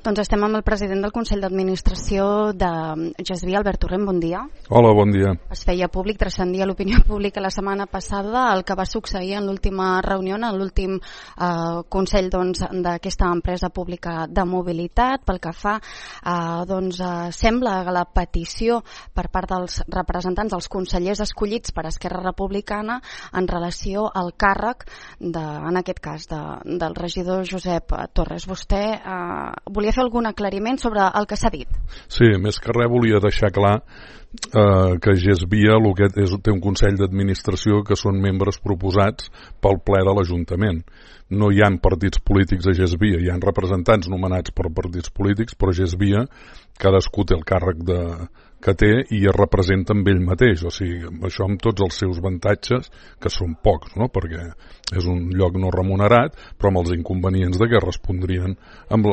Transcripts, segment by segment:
Doncs estem amb el president del Consell d'Administració de GESVI, Albert Torrent, bon dia. Hola, bon dia. Es feia públic, transcendia l'opinió pública la setmana passada el que va succeir en l'última reunió, en l'últim Consell d'aquesta empresa pública de mobilitat. Pel que fa, sembla que la petició per part dels representants dels consellers escollits per Esquerra Republicana en relació al càrrec, en aquest cas, del regidor Josep Torres. Vostè volia fer algun aclariment sobre el que s'ha dit? Sí, més que res volia deixar clar que GESVI té un Consell d'Administració que són membres proposats pel ple de l'Ajuntament. No hi ha partits polítics a GESVI, hi ha representants nomenats per partits polítics, però GESVI cadascú té el càrrec que té i es representa amb ell mateix, o sigui, això amb tots els seus avantatges, que són pocs, no? Perquè és un lloc no remunerat, però amb els inconvenients de què respondrien amb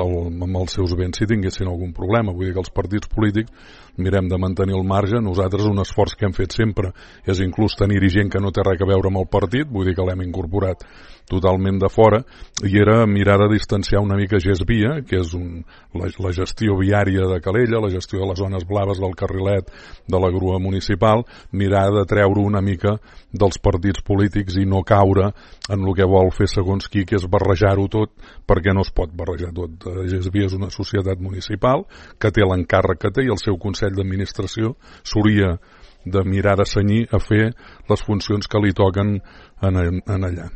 els seus béns si tinguessin algun problema. Vull dir que els partits polítics mirem de mantenir el marge. Nosaltres un esforç que hem fet sempre és inclús tenir-hi gent que no té res a veure amb el partit, vull dir que l'hem incorporat totalment de fora, i era mirar de distanciar una mica GESVI, que és la gestió viària de Calella, la gestió de les zones blaves del carrilet de la grua municipal, mirar de treure una mica dels partits polítics i no caure en el que vol fer segons qui, que és barrejar-ho tot, perquè no es pot barrejar tot. GESVI és una societat municipal que té l'encàrrec que té i el seu Consell d'Administració s'hauria de mirar de cenyir a fer les funcions que li toquen en allà.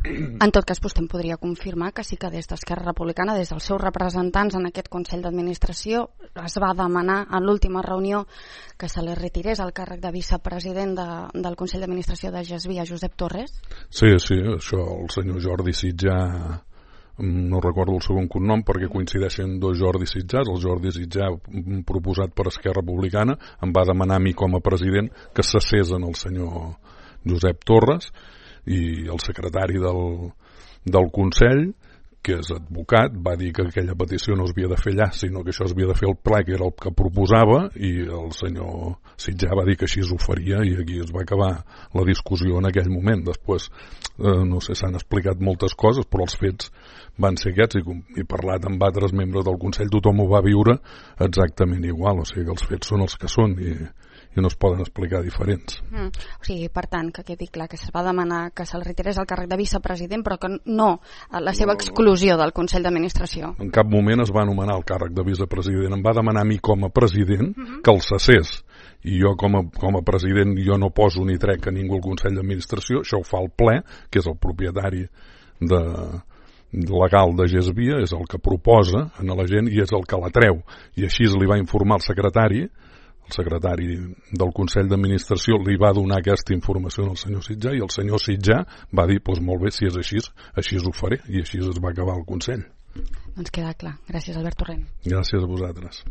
En tot cas, vostè em podria confirmar que sí que des d'Esquerra Republicana, des dels seus representants en aquest Consell d'Administració, es va demanar en l'última reunió que se li retirés el càrrec de vicepresident del Consell d'Administració de GESVI a Josep Torres? Sí, això el senyor Jordi Sitjà, no recordo el segon cognom perquè coincideixen dos Jordi Sitjars. El Jordi Sitjà, proposat per Esquerra Republicana, em va demanar a mi com a president que cessés en el senyor Josep Torres, i el secretari del Consell, que és advocat, va dir que aquella petició no es havia de fer allà, sinó que això es havia de fer al ple, que era el que proposava, i el senyor Sitjà va dir que així ho faria, i aquí es va acabar la discussió en aquell moment. Després, no sé, s'han explicat moltes coses, però els fets van ser aquests, i parlat amb altres membres del Consell, tothom ho va viure exactament igual, o sigui que els fets són els que són, i no es poden explicar diferents. O sigui, per tant, que quedi clar que es va demanar que se'l retirés el càrrec de vicepresident, però que no la seva exclusió del Consell d'Administració. En cap moment es va anomenar el càrrec de vicepresident. Em va demanar a mi com a president que el cessés. I jo com a president jo no poso ni trec a ningú al Consell d'Administració, això ho fa el ple, que és el propietari legal de GESVI, és el que proposa a la gent i és el que la treu. I així li va informar el secretari del Consell d'Administració, li va donar aquesta informació al senyor Sitjà, i el senyor Sitjà va dir, doncs molt bé, si és així ho faré, i així es va acabar el Consell. Doncs queda clar. Gràcies, Albert Torrent. Gràcies a vosaltres.